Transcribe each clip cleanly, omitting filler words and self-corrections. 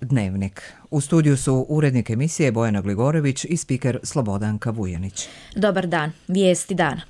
Dnevnik. U studiju su urednik emisije Bojana Gligorović i spiker Slobodanka Vujanić. Dobar dan, vijesti dana.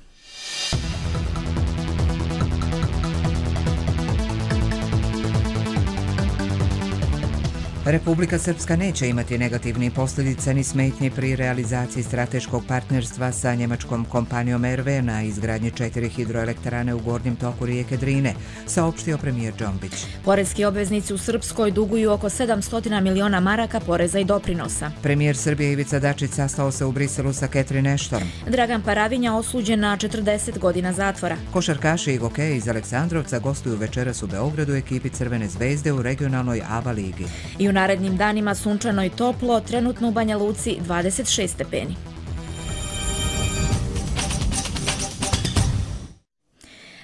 Republika Srpska neće imati negativnih posljedica ni smetnje pri realizaciji strateškog partnerstva sa njemačkom kompanijom RV na izgradnji 4 hidroelektrane u gornjem toku rijeke Drine, saopštio premijer Džombić. Poreski obveznici u Srpskoj duguju oko 700 miliona maraka poreza i doprinosa. Premijer Srbije Ivica Dačić sastao se u Briselu sa Catherine Ashton. Dragan Paravinja osuđen na 40 godina zatvora. Košarkaši i gokeji iz Aleksandrovca gostuju večeras u Beogradu ekipi Crvene zvezde u regionalnoj ABA ligi. I u narednim danima sunčano i toplo, trenutno u Banja Luci 26 stepeni.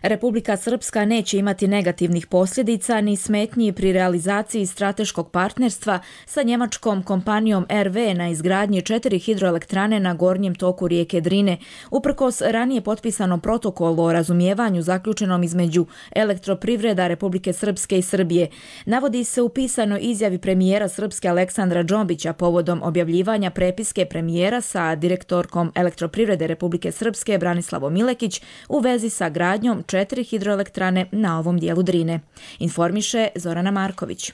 Republika Srpska neće imati negativnih posljedica ni smetnji pri realizaciji strateškog partnerstva sa njemačkom kompanijom RV na izgradnji 4 hidroelektrane na gornjem toku rijeke Drine, uprkos ranije potpisanom protokolu o razumijevanju zaključenom između Elektroprivreda Republike Srpske i Srbije. Navodi se u pisanoj izjavi premijera Srpske Aleksandra Džombića povodom objavljivanja prepiske premijera sa direktorkom Elektroprivrede Republike Srpske Branislavom Milekić u vezi sa gradnjom 4 hidroelektrane na ovom dijelu Drine. Informiše Zorana Marković.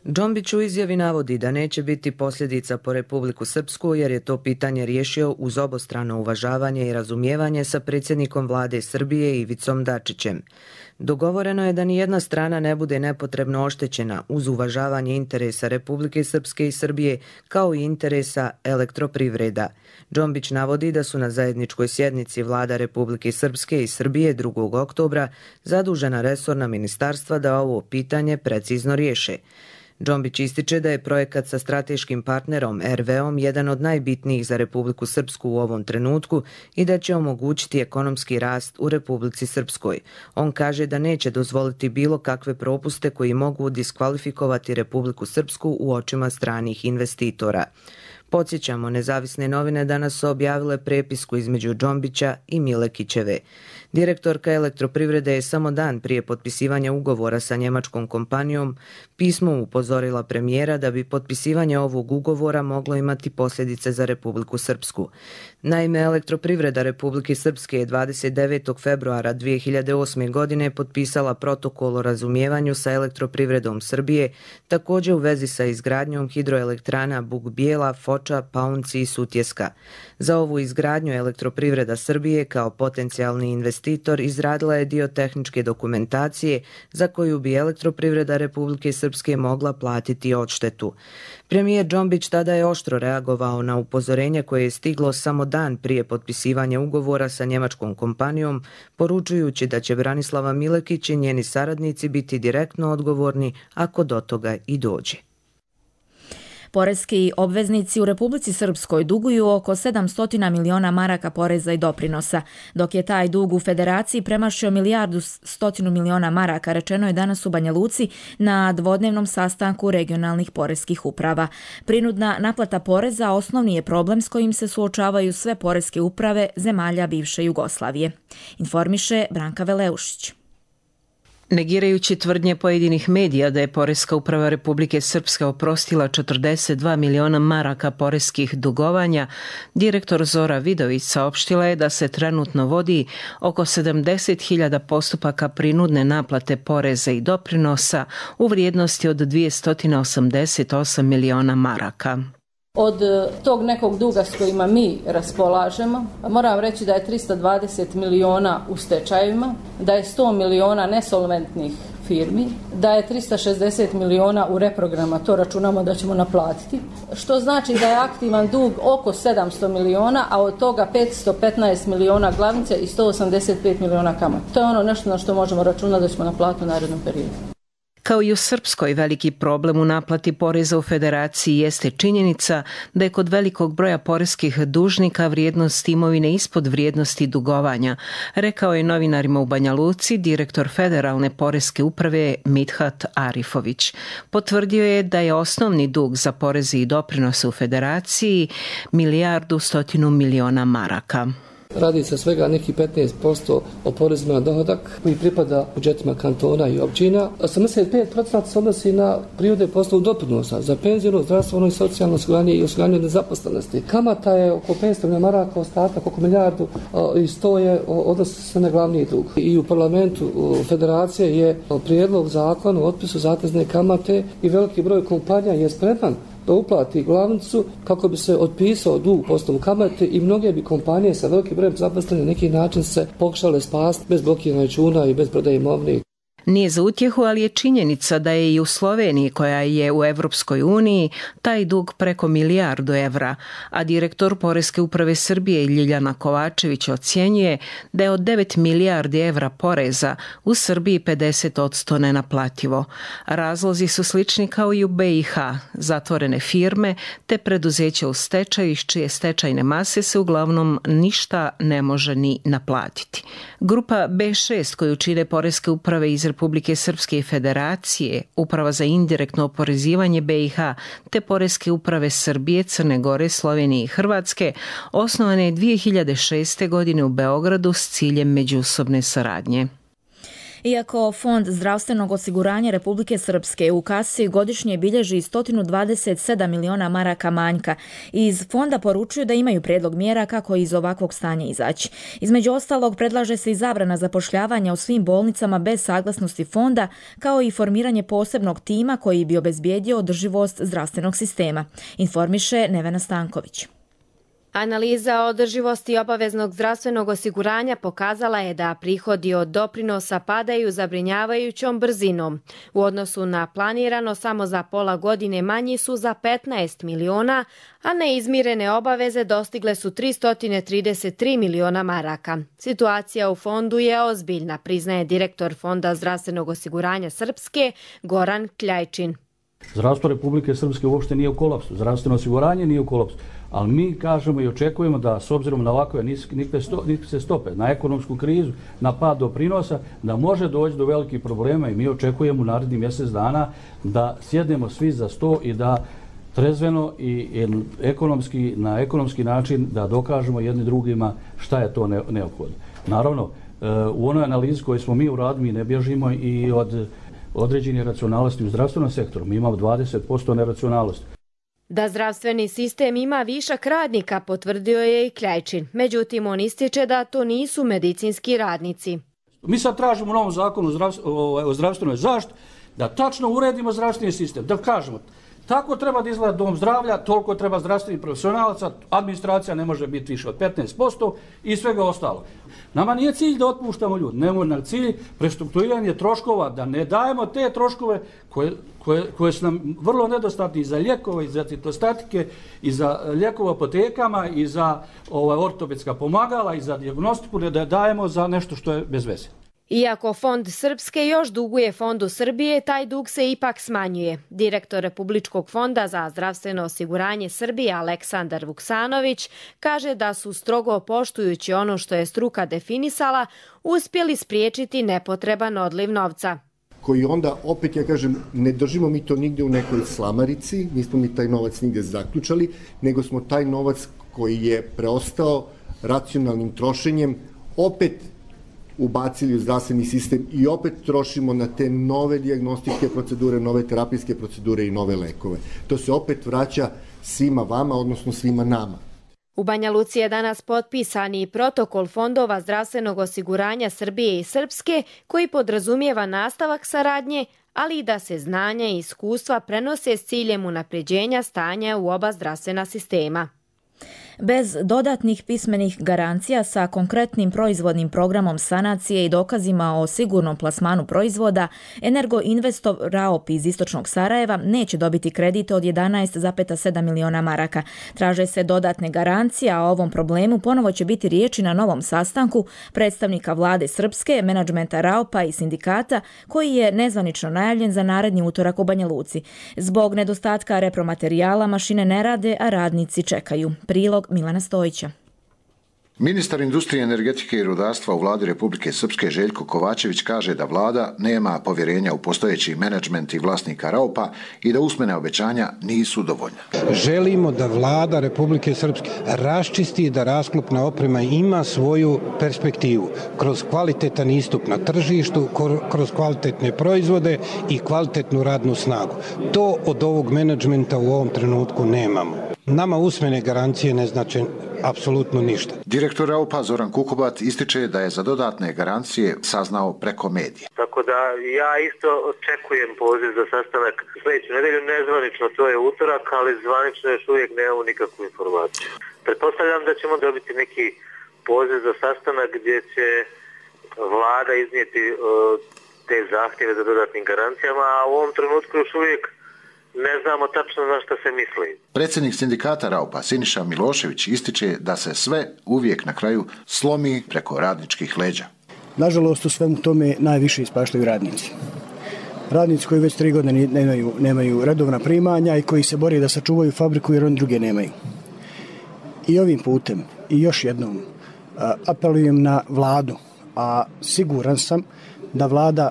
Džombić u izjavi navodi da neće biti posljedica po Republiku Srpsku jer je to pitanje riješio uz obostrano uvažavanje i razumijevanje sa predsjednikom vlade Srbije Ivicom Dačićem. Dogovoreno je da nijedna strana ne bude nepotrebno oštećena uz uvažavanje interesa Republike Srpske i Srbije kao i interesa Elektroprivreda. Džombić navodi da su na zajedničkoj sjednici vlada Republike Srpske i Srbije 2. oktobra zadužena resorna ministarstva da ovo pitanje precizno riješe. Džombić ističe da je projekat sa strateškim partnerom RV-om jedan od najbitnijih za Republiku Srpsku u ovom trenutku i da će omogućiti ekonomski rast u Republici Srpskoj. On kaže da neće dozvoliti bilo kakve propuste koji mogu diskvalifikovati Republiku Srpsku u očima stranih investitora. Podsjećamo, nezavisne novine danas su objavile prepisku između Džombića i Milekićeve. Direktorka Elektroprivrede je samo dan prije potpisivanja ugovora sa njemačkom kompanijom pismom upozorila premijera da bi potpisivanje ovog ugovora moglo imati posljedice za Republiku Srpsku. Naime, Elektroprivreda Republike Srpske je 29. februara 2008. godine potpisala protokol o razumijevanju sa Elektroprivredom Srbije, također u vezi sa izgradnjom hidroelektrana Buk Bijela, Foča, Paunci i Sutjeska. Za ovu izgradnju Elektroprivreda Srbije kao potencijalni investitor izradila je dio tehničke dokumentacije za koju bi Elektroprivreda Republike Srpske mogla platiti odštetu. Premijer Džombić tada je oštro reagovao na upozorenje koje je stiglo samo dan prije potpisivanja ugovora sa njemačkom kompanijom, poručujući da će Branislava Milekić i njeni saradnici biti direktno odgovorni ako do toga i dođe. Poreski obveznici u Republici Srpskoj duguju oko 700 miliona maraka poreza i doprinosa, dok je taj dug u Federaciji premašio 1,1 milijardu maraka, rečeno je danas u Banja Luci na dvodnevnom sastanku regionalnih poreskih uprava. Prinudna naplata poreza osnovni je problem s kojim se suočavaju sve poreske uprave zemalja bivše Jugoslavije. Informiše Branka Veleušić. Negirajući tvrdnje pojedinih medija da je Poreska uprava Republike Srpske oprostila 42 miliona maraka poreskih dugovanja, direktor Zora Vidović saopštila je da se trenutno vodi oko 70.000 postupaka prinudne naplate poreza i doprinosa u vrijednosti od 288 miliona maraka. Od tog nekog duga s kojima mi raspolažemo, moram reći da je 320 miliona u stečajevima, da je 100 miliona nesolventnih firmi, da je 360 miliona u reprograma, to računamo da ćemo naplatiti, što znači da je aktivan dug oko 700 miliona, a od toga 515 miliona glavnice i 185 miliona kamata. To je ono nešto na što možemo računati da ćemo naplatiti u narednom periodu. Kao i u Srpskoj, veliki problem u naplati poreza u Federaciji jeste činjenica da je kod velikog broja poreskih dužnika vrijednost imovine ispod vrijednosti dugovanja, rekao je novinarima u Banja Luci direktor Federalne poreske uprave Midhat Arifović. Potvrdio je da je osnovni dug za poreze i doprinose u Federaciji 1,1 milijardu maraka. Radi se svega nekih 15% o porezima na dohodak koji pripada budžetima kantona i općina. 85% se odnosi na prihode po osnovu doprinosa za penzijsko, zdravstveno i socijalno osiguranje i osiguranje od nezaposlenosti. Kamata je oko 500 milijuna maraka, ostatak oko milijardu i 100 je odnosi se na glavni dug. I u parlamentu federacije je prijedlog zakona o otpisu zatezne kamate i veliki broj kompanija je spreman da uplati glavnicu kako bi se otpisao dug po osnovu kamate i mnoge bi kompanije sa velikim brojem zaposlenih na neki način se pokušale spasti bez blokiranja računa i bez prodaje imovine. Nije za utjehu, ali je činjenica da je i u Sloveniji, koja je u Evropskoj uniji, taj dug preko milijardu evra, a direktor Poreske uprave Srbije Ljiljana Kovačević ocjenjuje da je od 9 milijardi evra poreza u Srbiji 50% nenaplativo. Razlozi su slični kao i u BiH, zatvorene firme te preduzeća u stečaju iz čije stečajne mase se uglavnom ništa ne može ni naplatiti. Grupa B6 koju čine Poreske uprave iz Republike Srpske i Federacije, Uprava za indirektno oporezivanje BiH te Poreske uprave Srbije, Crne Gore, Slovenije i Hrvatske osnovane je 2006. godine u Beogradu s ciljem međusobne saradnje. Iako Fond zdravstvenog osiguranja Republike Srpske u kasi godišnje bilježi 127 miliona maraka manjka, iz fonda poručuju da imaju prijedlog mjera kako iz ovakvog stanja izaći. Između ostalog, predlaže se i zabrana zapošljavanja u svim bolnicama bez saglasnosti fonda, kao i formiranje posebnog tima koji bi obezbijedio održivost zdravstvenog sistema, informiše Nevena Stanković. Analiza održivosti obaveznog zdravstvenog osiguranja pokazala je da prihodi od doprinosa padaju zabrinjavajućom brzinom. U odnosu na planirano, samo za pola godine manji su za 15 miliona, a neizmirene obaveze dostigle su 333 miliona maraka. Situacija u fondu je ozbiljna, priznaje direktor Fonda zdravstvenog osiguranja Srpske Goran Kljajčin. Zdravstvo Republike Srpske uopšte nije u kolapsu, zdravstveno osiguranje nije u kolapsu. Ali mi kažemo i očekujemo da s obzirom na ovakve niske stope, na ekonomsku krizu, na pad doprinosa, da može doći do velikih problema i mi očekujemo u narednih mjesec dana da sjednemo svi za sto i da trezveno i na ekonomski način da dokažemo jedni drugima šta je to neophodno. Naravno, u onoj analizi koju smo mi uradili, mi ne bježimo i od određenih racionalnosti u zdravstvenom sektoru. Mi imamo 20% neracionalnosti. Da zdravstveni sistem ima višak radnika, potvrdio je i Kljajčin. Međutim, on ističe da to nisu medicinski radnici. Mi sad tražimo u novom zakonu o zdravstvenoj zaštiti da tačno uredimo zdravstveni sistem, da kažemo tako treba da izgleda dom zdravlja, toliko treba zdravstvenih profesionalaca, administracija ne može biti više od 15% i svega ostalo. Nama nije cilj da otpuštamo ljudi, nemoj nam cilj prestrukturiranje troškova, da ne dajemo te troškove koje su nam vrlo nedostatni i za lijekove, i za citostatike, i za lijekove apotekama, i za ortopedska pomagala, i za dijagnostiku, da dajemo za nešto što je bez veze. Iako Fond Srpske još duguje Fondu Srbije, taj dug se ipak smanjuje. Direktor Republičkog fonda za zdravstveno osiguranje Srbije Aleksandar Vuksanović kaže da su strogo poštujući ono što je struka definisala, uspjeli spriječiti nepotreban odliv novca. Koji onda, opet ja kažem, ne držimo mi to nigdje u nekoj slamarici, nismo mi taj novac nigdje zaključali, nego smo taj novac koji je preostao racionalnim trošenjem opet ubacili u zdravstveni sistem i opet trošimo na te nove dijagnostičke procedure, nove terapijske procedure i nove lekove. To se opet vraća svima vama, odnosno svima nama. U Banja Luci je danas potpisan i protokol fondova zdravstvenog osiguranja Srbije i Srpske koji podrazumijeva nastavak saradnje, ali i da se znanja i iskustva prenose s ciljem unapređenja stanja u oba zdravstvena sistema. Bez dodatnih pismenih garancija sa konkretnim proizvodnim programom sanacije i dokazima o sigurnom plasmanu proizvoda, Energoinvestov Raop iz istočnog Sarajeva neće dobiti kredit od 11,7 miliona maraka. Traže se dodatne garancije, a o ovom problemu ponovo će biti riječi na novom sastanku predstavnika vlade Srpske, menadžmenta Raopa i sindikata, koji je nezvanično najavljen za naredni utorak u Banja Luci. Zbog nedostatka repromaterijala mašine ne rade, a radnici čekaju. Prilog Milana Stojića. Ministar industrije, energetike i rudarstva u vladi Republike Srpske Željko Kovačević kaže da vlada nema povjerenja u postojeći menadžment i vlasnika Raupa i da usmena obećanja nisu dovoljna. Želimo da vlada Republike Srpske raščisti da rasklopna oprema ima svoju perspektivu kroz kvalitetan istup na tržištu, kroz kvalitetne proizvode i kvalitetnu radnu snagu. To od ovog menadžmenta u ovom trenutku nemamo. Nama usmene garancije ne znače apsolutno ništa. Direktor Raupa Zoran Kukubat ističe da je za dodatne garancije saznao preko medija. Tako da ja isto očekujem poziv za sastanak sljedeću nedelju, nezvanično to je utorak, ali zvanično još uvijek nemamo nikakvu informaciju. Pretpostavljam da ćemo dobiti neki poziv za sastanak gdje će vlada iznijeti te zahtjeve za dodatnim garancijama, a u ovom trenutku još uvijek ne znamo tačno na što se misli. Predsjednik sindikata Raupa Siniša Milošević ističe da se sve uvijek na kraju slomi preko radničkih leđa. Nažalost, u svemu tome najviše ispaštaju radnici. Radnici koji već 3 godine nemaju redovna primanja i koji se bore da sačuvaju fabriku jer oni druge nemaju. I ovim putem i još jednom apelujem na vladu, a siguran sam da vlada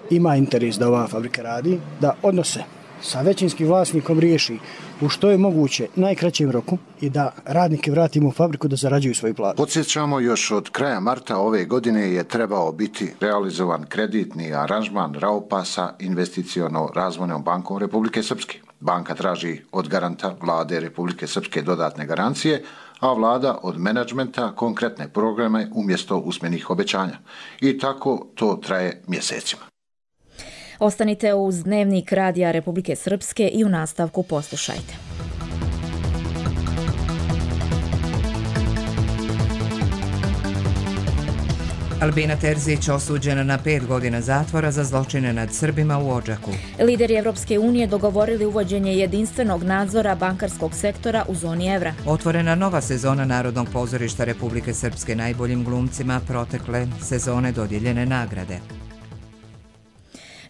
ima interes da ova fabrika radi, da odnose sa većinskim vlasnikom riješi u što je moguće najkraćem roku i da radnike vratimo u fabriku da zarađuju svoju platu. Podsjećamo, još od kraja marta ove godine je trebao biti realizovan kreditni aranžman Raupa sa investiciono-razvojnom bankom Republike Srpske. Banka traži od garanta vlade Republike Srpske dodatne garancije, a vlada od menadžmenta konkretne programe umjesto usmenih obećanja. I tako to traje mjesecima. Ostanite uz Dnevnik Radija Republike Srpske i u nastavku poslušajte. Albina Terzić osuđena na 5 godina zatvora za zločine nad Srbima u Odžaku. Lideri Evropske unije dogovorili uvođenje jedinstvenog nadzora bankarskog sektora u zoni evra. Otvorena nova sezona Narodnog pozorišta Republike Srpske, najboljim glumcima protekle sezone dodijeljene nagrade.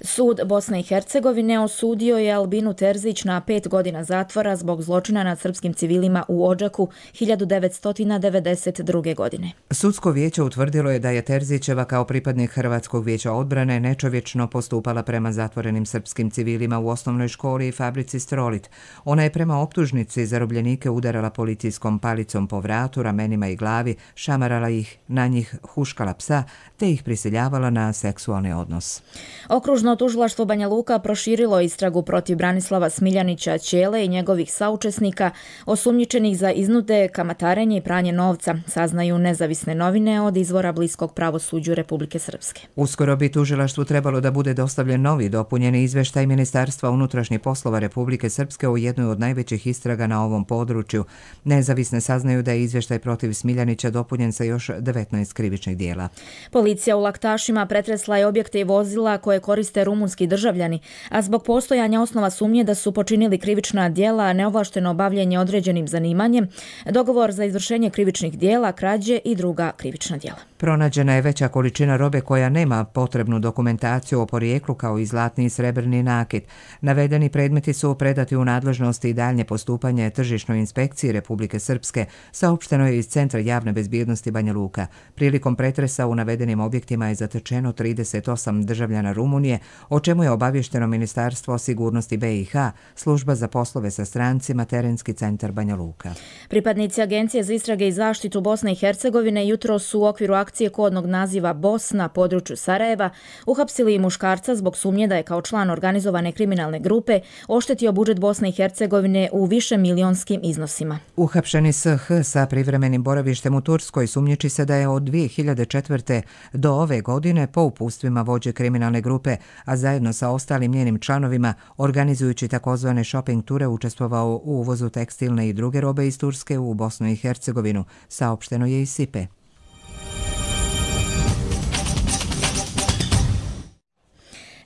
Sud Bosne i Hercegovine osudio je Albinu Terzić na 5 godina zatvora zbog zločina nad srpskim civilima u Odžaku 1992. godine. Sudsko vijeće utvrdilo je da je Terzićeva kao pripadnik Hrvatskog vijeća odbrane nečovječno postupala prema zatvorenim srpskim civilima u osnovnoj školi i fabrici Strolit. Ona je prema optužnici zarobljenike udarala policijskom palicom po vratu, ramenima i glavi, šamarala ih, na njih huškala psa, te ih prisiljavala na seksualni odnos. Okružno tužilaštvo Banja Luka proširilo istragu protiv Branislava Smiljanića Ćele i njegovih saučesnika osumnjičenih za iznude, kamatarenje i pranje novca, saznaju nezavisne novine od izvora bliskog pravosuđu Republike Srpske. Uskoro bi tužilaštvu trebalo da bude dostavljen novi dopunjeni izveštaj Ministarstva unutrašnjih poslova Republike Srpske o jednoj od najvećih istraga na ovom području. Nezavisne saznaju da je izveštaj protiv Smiljanića dopunjen sa još 19 krivičnih dijela. Policija u Laktašima pretresla je objekte i vozila koje koriste rumunski državljani, a zbog postojanja osnova sumnje da su počinili krivična djela, neovlašteno bavljenje određenim zanimanjem, dogovor za izvršenje krivičnih djela, krađe i druga krivična djela. Pronađena je veća količina robe koja nema potrebnu dokumentaciju o porijeklu kao i zlatni i srebrni nakit. Navedeni predmeti su predati u nadležnosti i daljnje postupanje tržišnoj inspekciji Republike Srpske, saopšteno je iz Centra javne bezbjednosti Banja Luka. Prilikom pretresa u navedenim objektima je zatečeno 38 državljana Rumunije, o čemu je obavješteno Ministarstvo sigurnosti BiH, Služba za poslove sa strancima, Terenski centar Banja Luka. Pripadnici Agencije za istrage i zaštitu Bosne i Hercegovine jutros su u okviru akcije kodnog naziva BOS na području Sarajeva uhapsili i muškarca zbog sumnje da je kao član organizovane kriminalne grupe oštetio budžet Bosne i Hercegovine u višemilijonskim iznosima. Uhapšeni SH sa privremenim boravištem u Turskoj sumnjiči se da je od 2004. do ove godine po upustvima vođe kriminalne grupe, a zajedno sa ostalim njenim članovima, organizujući takozvane shopping ture, učestvovao u uvozu tekstilne i druge robe iz Turske u Bosnu i Hercegovinu, saopšteno je iz SIPE.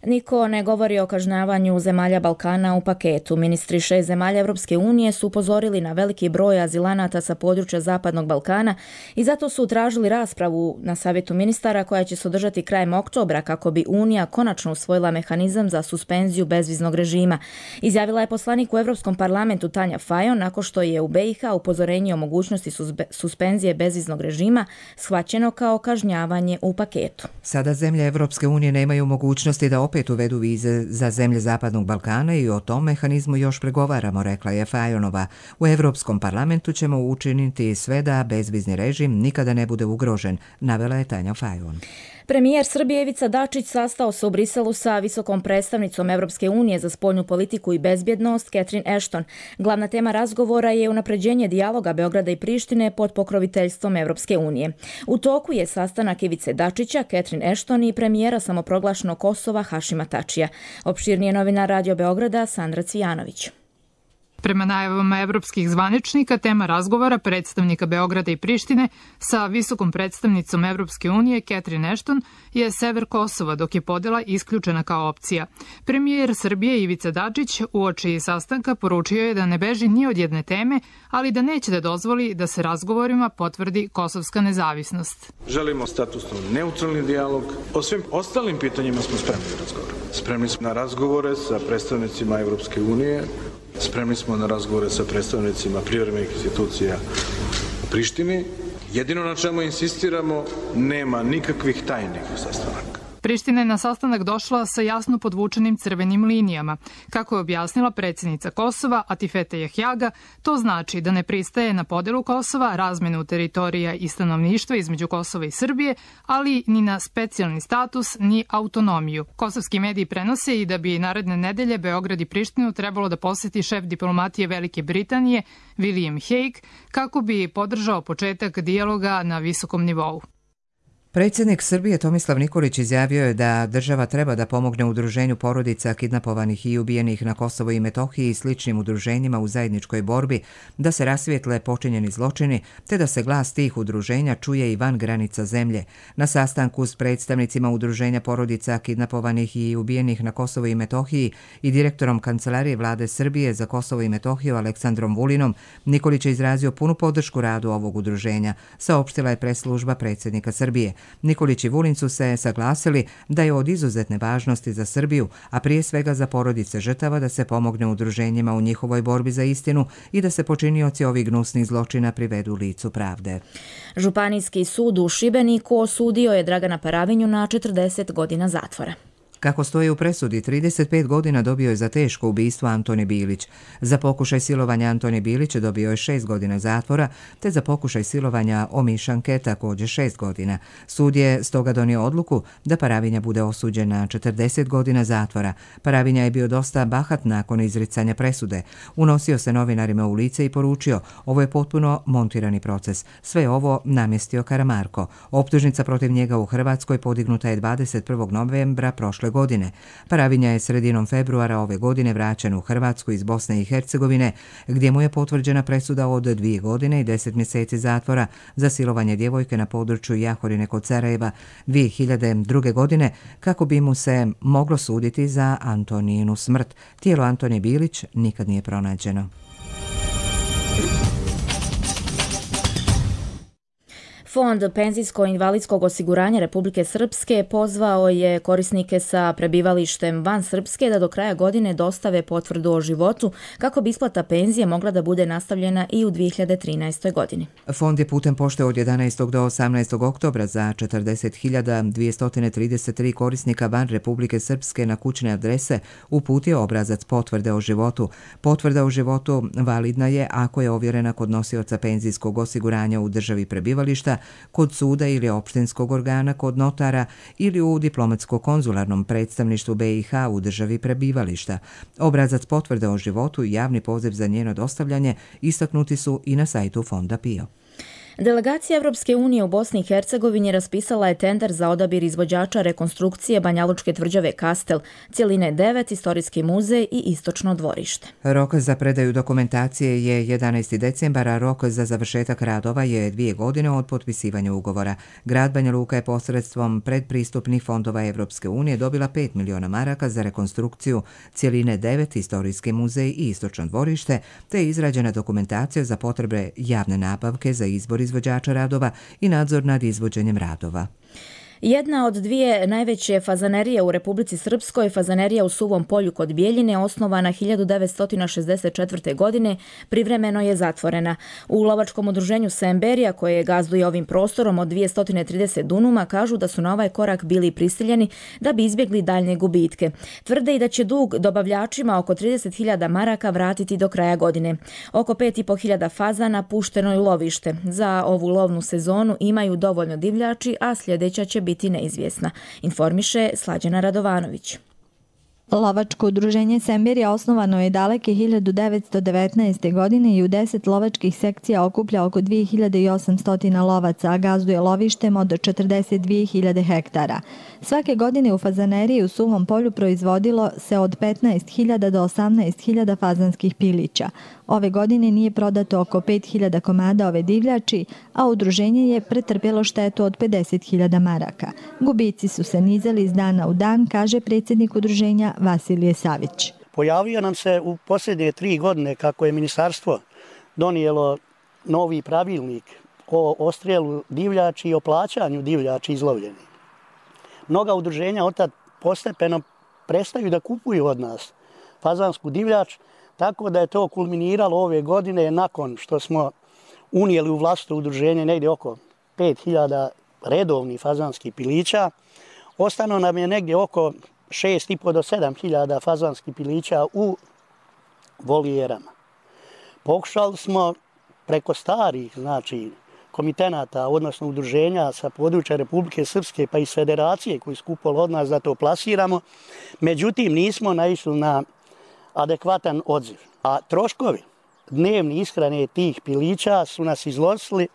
Niko ne govori o kažnjavanju zemalja Balkana u paketu. Ministri 6 zemalja Evropske unije su upozorili na veliki broj azilanata sa područja Zapadnog Balkana i zato su tražili raspravu na savjetu ministara koja će se održati krajem oktobra kako bi Unija konačno usvojila mehanizam za suspenziju bezviznog režima. Izjavila je poslanik u Evropskom parlamentu Tanja Fajon nakon što je u BiH upozorenje o mogućnosti suspenzije bezviznog režima shvaćeno kao kažnjavanje u paketu. Sada zemlje Evropske unije nemaju mogućnosti da opet uvedu vize za zemlje Zapadnog Balkana i o tom mehanizmu još pregovaramo, rekla je Fajonova. U Evropskom parlamentu ćemo učiniti sve da bezvizni režim nikada ne bude ugrožen, navela je Tanja Fajon. Premijer Srbije Ivica Dačić sastao se u Briselu sa visokom predstavnicom Evropske unije za spoljnu politiku i bezbjednost Catherine Ashton. Glavna tema razgovora je unapređenje dijaloga Beograda i Prištine pod pokroviteljstvom Evropske unije. U toku je sastanak Ivice Dačića, Catherine Ashton i premijera samoproglašenog Kosova Hašima Tačija. Opširnije novinar Radio Beograda Sandra Cvijanović. Prema najavama evropskih zvaničnika, tema razgovora predstavnika Beograda i Prištine sa visokom predstavnicom Evropske unije Catherine Ashton je sever Kosova, dok je podela isključena kao opcija. Premijer Srbije Ivica Dačić uoči sastanka poručio je da ne beži ni od jedne teme, ali da neće da dozvoli da se razgovorima potvrdi kosovska nezavisnost. Želimo statusno neutralni dijalog. O svim ostalim pitanjima smo spremni da razgovaramo. Spremni smo na razgovore sa predstavnicima Evropske unije. Spremni smo na razgovore sa predstavnicima privremenih institucija u Prištini. Jedino na čemu insistiramo, nema nikakvih tajnih sastanaka. Priština je na sastanak došla sa jasno podvučenim crvenim linijama. Kako je objasnila predsjednica Kosova Atifete Jahjaga, to znači da ne pristaje na podelu Kosova, razmenu teritorija i stanovništva između Kosova i Srbije, ali ni na specijalni status ni autonomiju. Kosovski mediji prenose i da bi naredne nedelje Beograd i Prištinu trebalo da poseti šef diplomatije Velike Britanije William Hague kako bi podržao početak dijaloga na visokom nivou. Predsjednik Srbije Tomislav Nikolić izjavio je da država treba da pomogne udruženju porodica kidnapovanih i ubijenih na Kosovo i Metohiji i sličnim udruženjima u zajedničkoj borbi da se rasvijetle počinjeni zločini, te da se glas tih udruženja čuje i van granica zemlje. Na sastanku s predstavnicima udruženja porodica kidnapovanih i ubijenih na Kosovo i Metohiji i direktorom Kancelarije vlade Srbije za Kosovo i Metohiju Aleksandrom Vulinom, Nikolić je izrazio punu podršku radu ovog udruženja, saopštila je press-služba predsjednika Srbije. Nikolić i Vulin su se saglasili da je od izuzetne važnosti za Srbiju, a prije svega za porodice žrtava, da se pomogne udruženjima u njihovoj borbi za istinu i da se počinioci ovih gnusnih zločina privedu licu pravde. Županijski sud u Šibeniku osudio je Dragana Paravinju na 40 godina zatvora. Kako stoji u presudi, 35 godina dobio je za teško ubistvo Antoni Bilić. Za pokušaj silovanja Antoni Bilić dobio je 6 godina zatvora, te za pokušaj silovanja Omišanke također 6 godina. Sud je stoga donio odluku da Paravinja bude osuđen na 40 godina zatvora. Paravinja je bio dosta bahat nakon izricanja presude. Unosio se novinarima u lice i poručio: ovo je potpuno montirani proces. Sve ovo namjestio Karamarko. Optužnica protiv njega u Hrvatskoj podignuta je 21. novembra prošle godine. Paravinja je sredinom februara ove godine vraćen u Hrvatsku iz Bosne i Hercegovine, gdje mu je potvrđena presuda od 2 godine i 10 mjeseci zatvora za silovanje djevojke na području Jahorine kod Sarajeva 2002. godine, kako bi mu se moglo suditi za Antoninu smrt. Tijelo Antoni Bilić nikad nije pronađeno. Fond penzijsko-invalidskog osiguranja Republike Srpske pozvao je korisnike sa prebivalištem van Srpske da do kraja godine dostave potvrdu o životu kako bi isplata penzije mogla da bude nastavljena i u 2013. godini. Fond je putem pošte od 11. do 18. oktobra za 40.233 korisnika van Republike Srpske na kućne adrese uputio obrazac potvrde o životu. Potvrda o životu validna je ako je ovjerena kod nosioca penzijskog osiguranja u državi prebivališta, kod suda ili opštinskog organa, kod notara ili u diplomatsko-konzularnom predstavništvu BiH u državi prebivališta. Obrazac potvrde o životu i javni poziv za njeno dostavljanje istaknuti su i na sajtu Fonda PIO. Delegacija Europske unije u Bosni i Hercegovini raspisala je tender za odabir izvođača rekonstrukcije Banjalučke tvrđave Kastel, cjeline 9, istorijski muzej i istočno dvorište. Rok za predaju dokumentacije je 11. decembar, a rok za završetak radova je 2 godine od potpisivanja ugovora. Grad Banja Luka je posredstvom predpristupnih fondova Europske unije dobila 5 miliona maraka za rekonstrukciju cjeline 9, istorijski muzej i istočno dvorište, te je izrađena dokumentacija za potrebe javne nabavke za izbor izvođača radova i nadzor nad izvođenjem radova. Jedna od dvije najveće fazanerije u Republici Srpskoj, fazanerija u Suvom Polju kod Bijeljine, osnovana 1964. godine, privremeno je zatvorena. U lovačkom udruženju Semberija, koje gazduje ovim prostorom od 230 dunuma, kažu da su na ovaj korak bili prisiljeni da bi izbjegli daljnje gubitke. Tvrde i da će dug dobavljačima oko 30.000 maraka vratiti do kraja godine. Oko 5.500 fazana pušteno je u lovište. Za ovu lovnu sezonu imaju dovoljno divljači, a sljedeća će biti neizvjesna, informiše Slađana Radovanović. Lovačko udruženje Semberija osnovano je daleke 1919. godine i u 10 lovačkih sekcija okuplja oko 2800 lovaca, a gazduje lovištem od 42.000 hektara. Svake godine u fazaneriji u Suvom Polju proizvodilo se od 15.000 do 18.000 fazanskih pilića. Ove godine nije prodato oko 5.000 komada ove divljači, a udruženje je pretrpjelo štetu od 50.000 maraka. Gubici su se nizali iz dana u dan, kaže predsjednik udruženja Vasilije Savić. Pojavio nam se u posljednje 3 godine kako je ministarstvo donijelo novi pravilnik o odstrelu divljači i o plaćanju divljači izlovljenih. Mnoga udruženja od tad postepeno prestaju da kupuju od nas fazansku divljač, tako da je to kulminiralo ove godine nakon što smo unijeli u vlastito udruženje negdje oko 5.000 redovnih fazanskih pilića. Ostano nam je negdje oko 6.500 do 7.000 fazanskih pilića u volijerama. Pokušali smo preko starih, komitenata, odnosno udruženja sa područja Republike Srpske pa i s federacije koji su kupovali od nas da to plasiramo. Međutim, nismo naišli na adekvatan odziv. A troškovi dnevni ishrane tih pilića su nas iznosili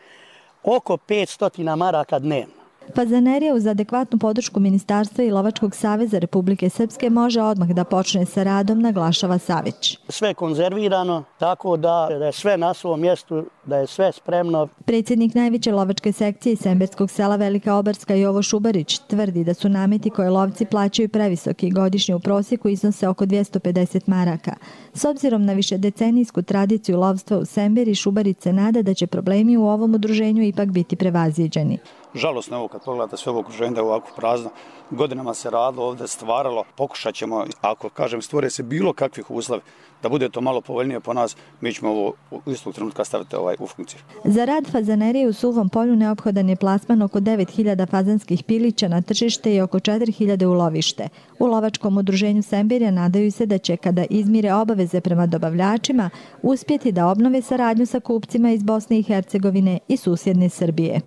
oko 500 maraka dnevno. Fazanerija uz adekvatnu podršku Ministarstva i Lovačkog saveza Republike Srpske može odmah da počne sa radom, naglašava Savić. Sve konzervirano, tako da je sve na svom mjestu, da je sve spremno. Predsjednik najveće lovačke sekcije iz Semberskog sela Velika Obarska Jovo Šubarić tvrdi da su nameti koje lovci plaćaju previsoki, godišnje u prosjeku iznose oko 250 maraka. S obzirom na višedecenijsku tradiciju lovstva u Semberi, Šubarić se nada da će problemi u ovom udruženju ipak biti prevaziđeni. Žalosno je ovo kad pogledate sve ovo okruženje da je ovako prazno. Godinama se radilo, ovdje stvaralo. Pokušat ćemo, ako stvore se bilo kakvih uslova da bude to malo povoljnije po nas, mi ćemo ovo u istog trenutka staviti u funkciju. Za rad fazanerije u Suvom Polju neophodan je plasman oko 9.000 fazanskih pilića na tržište i oko 4.000 u lovište. U lovačkom udruženju Semberija nadaju se da će, kada izmire obaveze prema dobavljačima, uspjeti da obnove saradnju sa kupcima iz Bosne i Hercegovine i susjedne Srbije.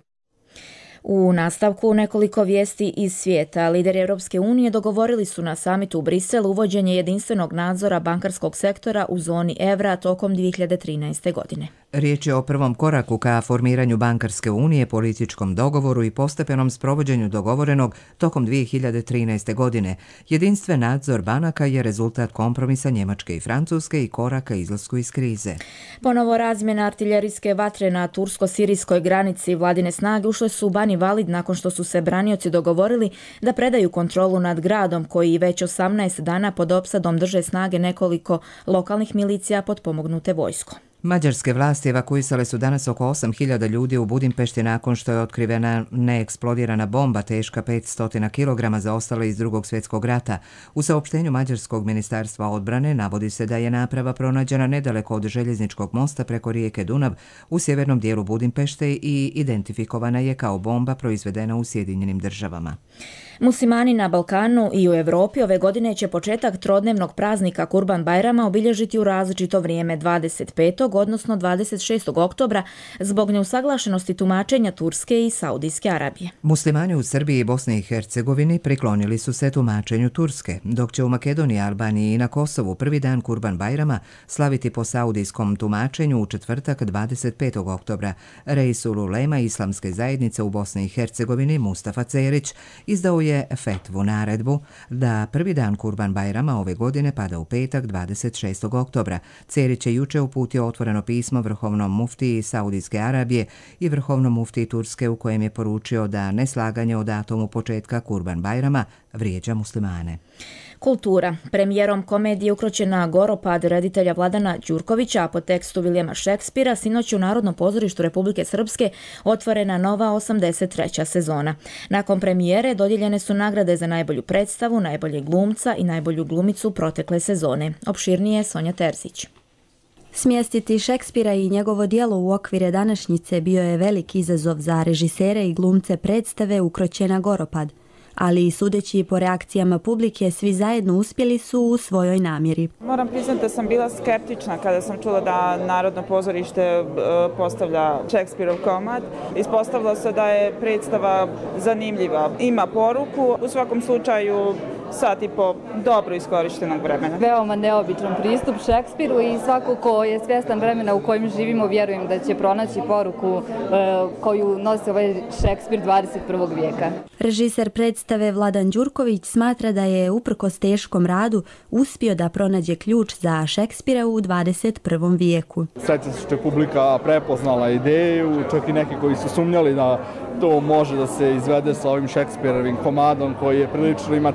U nastavku nekoliko vijesti iz svijeta. Lideri Europske unije dogovorili su na samitu u Briselu uvođenje jedinstvenog nadzora bankarskog sektora u zoni evra tokom 2013. godine. Riječ je o prvom koraku ka formiranju bankarske unije, političkom dogovoru i postepenom sprovođenju dogovorenog tokom 2013. godine. Jedinstven nadzor banaka je rezultat kompromisa Njemačke i Francuske i koraka izlasku iz krize. Ponovo razmjena artiljerijske vatre na tursko-sirijskoj granici. Vladine snage ušle su u Bani Valid nakon što su se branioci dogovorili da predaju kontrolu nad gradom koji već 18 dana pod opsadom drže snage nekoliko lokalnih milicija potpomognute vojskom. Mađarske vlasti evakuisale su danas oko 8.000 ljudi u Budimpešti nakon što je otkrivena neeksplodirana bomba teška 500 kg zaostala iz Drugog svjetskog rata. U saopštenju Mađarskog ministarstva odbrane navodi se da je naprava pronađena nedaleko od željezničkog mosta preko rijeke Dunav u sjevernom dijelu Budimpešte i identifikovana je kao bomba proizvedena u Sjedinjenim državama. Muslimani na Balkanu i u Europi ove godine će početak trodnevnog praznika Kurban Bajrama obilježiti u različito vrijeme 25. odnosno 26. oktobra zbog neusaglašenosti tumačenja Turske i Saudijske Arabije. Muslimani u Srbiji i Bosni i Hercegovini priklonili su se tumačenju Turske, dok će u Makedoniji, Albaniji i na Kosovu prvi dan Kurban Bajrama slaviti po saudijskom tumačenju u četvrtak 25. oktobra. Reisul Ulema Islamske zajednice u Bosni i Hercegovini Mustafa Cerić izdao je fetvu naredbu da prvi dan Kurban Bajrama ove godine pada u petak 26. oktobra. Cerić je juče uputio otvoreno pismo vrhovnom muftiji Saudijske Arabije i vrhovnom muftiji Turske u kojem je poručio da neslaganje o datumu početka Kurban Bajrama vrijeđa muslimane. Kultura. Premijerom komedije Ukroćena Goropad reditelja Vladana Đurkovića, a po tekstu Vilijama Šekspira, sinoć u Narodnom pozorištu Republike Srpske otvorena nova 83. sezona. Nakon premijere dodijeljene su nagrade za najbolju predstavu, najboljeg glumca i najbolju glumicu protekle sezone. Opširnije Sonja Terzić. Smjestiti Šekspira i njegovo djelo u okvire današnjice bio je veliki izazov za režisere i glumce predstave Ukroćena Goropad, ali i sudeći po reakcijama publike, svi zajedno uspjeli su u svojoj namjeri. Moram priznati da sam bila skeptična kada sam čula da Narodno pozorište postavlja Šekspirov komad. Ispostavilo se da je predstava zanimljiva, ima poruku, u svakom slučaju sat i po dobro iskorištenog vremena. Veoma neobičan pristup Šekspiru i svako ko je svjestan vremena u kojem živimo, vjerujem da će pronaći poruku koju nosi ovaj Šekspir 21. vijeka. Režiser predstave Vladan Đurković smatra da je uprkos teškom radu uspio da pronađe ključ za Šekspira u 21. vijeku. Sreća što je publika prepoznala ideju, čak i neki koji su sumnjali da to može da se izvede sa ovim Šekspirovim komadom koji je prilično ima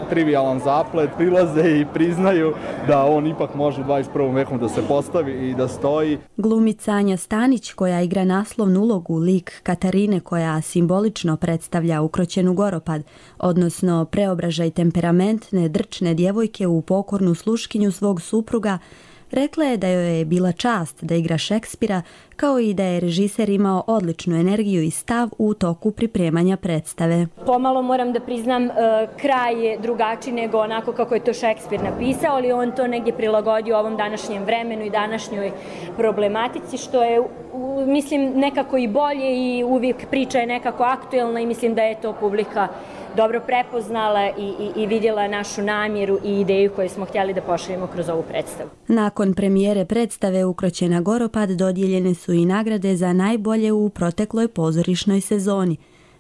trivialan zaplet, prilaze i priznaju da on ipak može u 21. veku da se postavi i da stoji. Glumica Anja Stanić, koja igra naslovnu ulogu, lik Katarine koja simbolično predstavlja ukroćenu Goropad, odnosno preobražaj temperamentne, drčne djevojke u pokornu sluškinju svog supruga, rekla je da joj je bila čast da igra Šekspira, kao i da je režiser imao odličnu energiju i stav u toku pripremanja predstave. Pomalo moram da priznam, kraj je drugačiji nego onako kako je to Šekspir napisao, ali on to negdje prilagodio ovom današnjem vremenu i današnjoj problematici, što je, mislim, nekako i bolje i uvijek priča je nekako aktuelna i mislim da je to publika dobro prepoznala i vidjela našu namjeru i ideju koju smo htjeli da pošaljemo kroz ovu predstavu. Nakon premijere predstave Ukroćena Goropad dodijeljene su i nagrade za najbolje u protekloj pozorišnoj sezoni.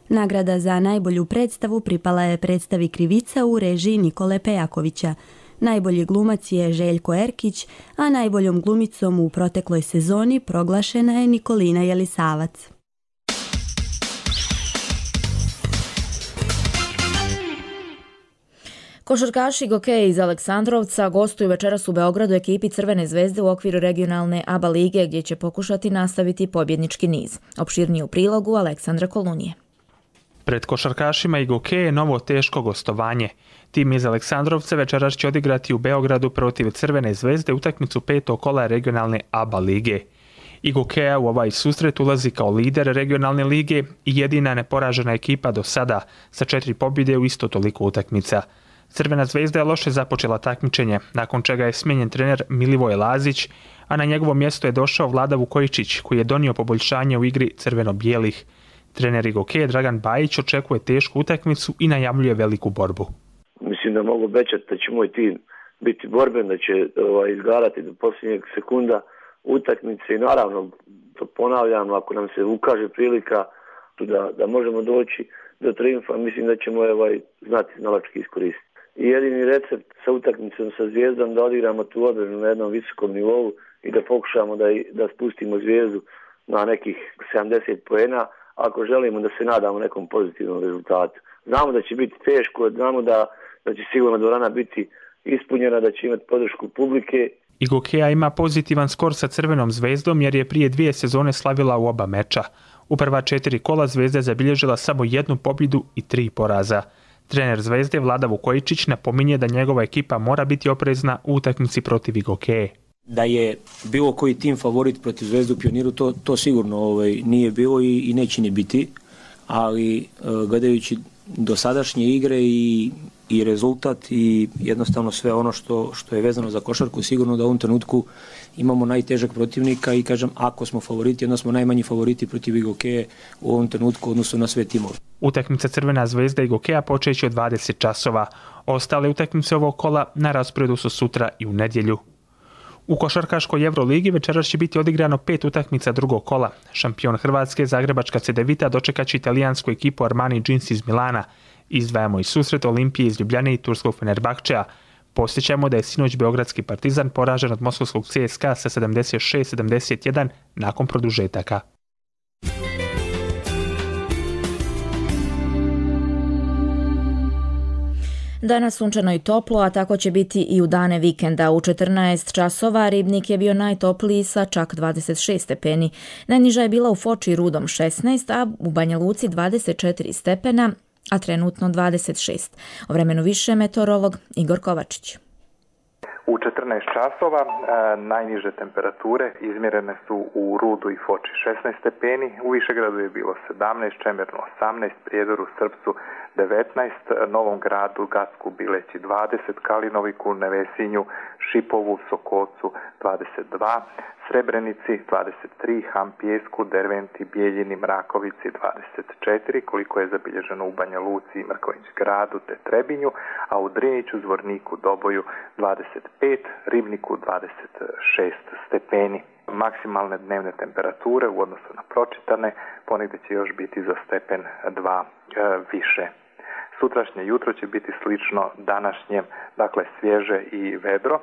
Nagrada za najbolju predstavu pripala je predstavi Krivica u režiji Nikole Pejakovića. Najbolji glumac je Željko Erkić, a najboljom glumicom u protekloj sezoni proglašena je Nikolina Jelisavac. Košarkaši Gokeja iz Aleksandrovca gostuju večeras u Beogradu ekipi Crvene zvezde u okviru regionalne ABA lige, gdje će pokušati nastaviti pobjednički niz. Opširnije u prilogu Aleksandra Kolunije. Pred košarkašima i Gokeje novo teško gostovanje. Tim iz Aleksandrovca večeras će odigrati u Beogradu protiv Crvene zvezde utakmicu 5. kola regionalne ABA lige. I Gokeja u ovaj susret ulazi kao lider regionalne lige i jedina neporažena ekipa do sada sa 4 pobjede u isto toliko utakmica. Crvena zvezda je loše započela takmičenje, nakon čega je smijenjen trener Milivoj Lazić, a na njegovo mjesto je došao Vlada Vukojičić, koji je donio poboljšanje u igri crveno-bijelih. Trener Gokeje Dragan Bajić očekuje tešku utakmicu i najavljuje veliku borbu. Mislim da mogu obećati da će moj tim biti borben, da će izgarati do posljednjeg sekunda utakmice i naravno, to ponavljam, ako nam se ukaže prilika da možemo doći do triumfa, mislim da ćemo znati znalački iskoristiti. I jedini recept sa utakmicom sa Zvijezdom da odigramo tu odbranu na jednom visokom nivou i da pokušamo da spustimo Zvijezdu na nekih 70 poena ako želimo da se nadamo nekom pozitivnom rezultatu. Znamo da će biti teško, znamo da će sigurno dvorana biti ispunjena, da će imati podršku publike. I Gokeja ima pozitivan skor sa Crvenom zvezdom jer je prije 2 sezone slavila u oba meča. U prva 4 kola Zvezda je zabilježila samo 1 pobjedu i 3 poraza. Trener Zvezde Vlada Vukojičić napominje da njegova ekipa mora biti oprezna u utakmici protiv Gokeje. Da je bilo koji tim favorit protiv Zvezde u Pioniru, to sigurno nije bilo i neće ni biti, ali gledajući dosadašnje igre i rezultat i jednostavno sve ono što je vezano za košarku, sigurno da u ovom trenutku imamo najtežak protivnika i kažem, ako smo favoriti, onda smo najmanji favoriti protiv Igokeje u ovom trenutku odnosno na sve timove. Utakmica Crvena zvezda i Igokeja počeće od 20 časova. Ostale utakmice ovog kola na rasporedu su sutra i u nedjelju. U košarkaškoj Euroligi večeras će biti odigrano 5 utakmica drugog kola. Šampion Hrvatske, zagrebačka Cedevita, dočekaće italijansku ekipu Armani Jeans iz Milana. Izdvajamo i susret Olimpije iz Ljubljane i turskog Fenerbahčeja. Posjećamo da je sinoć beogradski Partizan poražen od moskovskog CSKA sa 76-71 nakon produžetaka. Danas sunčano i toplo, a tako će biti i u dane vikenda. U 14 časova Ribnik je bio najtopliji sa čak 26 stepeni. Najniža je bila u Foči i Rudom 16, a u Banja Luci 24 stepena, a trenutno 26. O vremenu više meteorolog Igor Kovačić. U 14 časova najniže temperature izmjerene su u Rudu i Foči 16 stepeni, u Višegradu je bilo 17, Čemernu 18, Prijedoru, Srpcu 19, Novom Gradu, Gacku, Bileći 20, Kalinoviku, Nevesinju, Šipovu, Sokolcu 22, Srebrenici 23, Hampijesku, Derventi, Bijeljini, Mrakovici 24, koliko je zabilježeno u Banja Luci i Mrkonjić Gradu te Trebinju, a u Driniću, Zvorniku, Doboju 25, Ribniku 26 stepeni. Maksimalne dnevne temperature u odnosu na pročitane ponegdje će još biti za stepen 2 više. Sutrašnje jutro će biti slično današnjem, dakle svježe i vedro.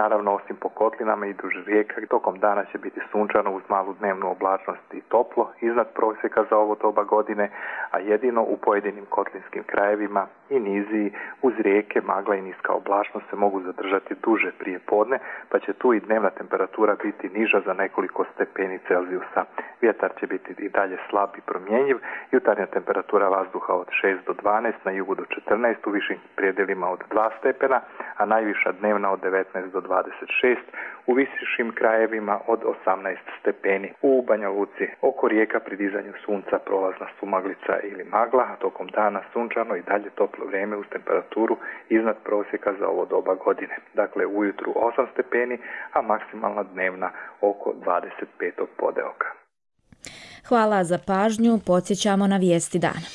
Naravno, osim po kotlinama i duž rijeka, tokom dana će biti sunčano uz malu dnevnu oblačnost i toplo, iznad prosjeka za ovo doba godine, a jedino u pojedinim kotlinskim krajevima i niziji uz rijeke magla i niska oblačnost se mogu zadržati duže prije podne, pa će tu i dnevna temperatura biti niža za nekoliko stepeni Celzijusa. Vjetar će biti i dalje slab i promjenjiv, jutarnja temperatura vazduha od 6 do 12, na jugu do 14, u višim predjelima od 2 stepena, a najviša dnevna od 19 do 26, u višim krajevima od 18 stepeni. U Banja Luci oko rijeka pri dizanju sunca prolazna sumaglica ili magla, a tokom dana sunčano i dalje toplo vrijeme uz temperaturu iznad prosjeka za ovo doba godine. Dakle, ujutru 8 stepeni, a maksimalna dnevna oko 25. podeoka. Hvala za pažnju, podsjećamo na vijesti dana.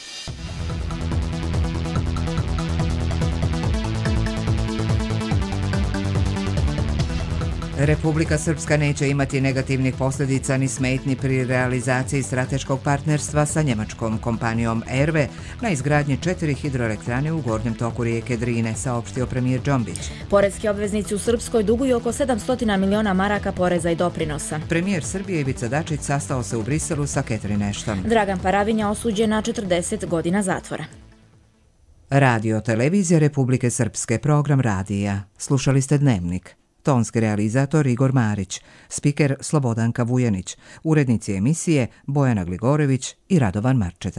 Republika Srpska neće imati negativnih posljedica ni smetnji pri realizaciji strateškog partnerstva sa njemačkom kompanijom RV na izgradnji 4 hidroelektrane u gornjem toku rijeke Drine, saopštio premijer Džombić. Poreski obveznici u Srpskoj duguju oko 700 miliona maraka poreza i doprinosa. Premijer Srbije Ivica Dačić sastao se u Briselu sa Catherine Ashton. Dragan Paravinja osuđen na 40 godina zatvora. Radio televizija Republike Srpske, program radija. Slušali ste Dnevnik. Tonski realizator Igor Marić, spiker Slobodanka Vujanić, urednici emisije Bojana Gligorević i Radovan Marčeta.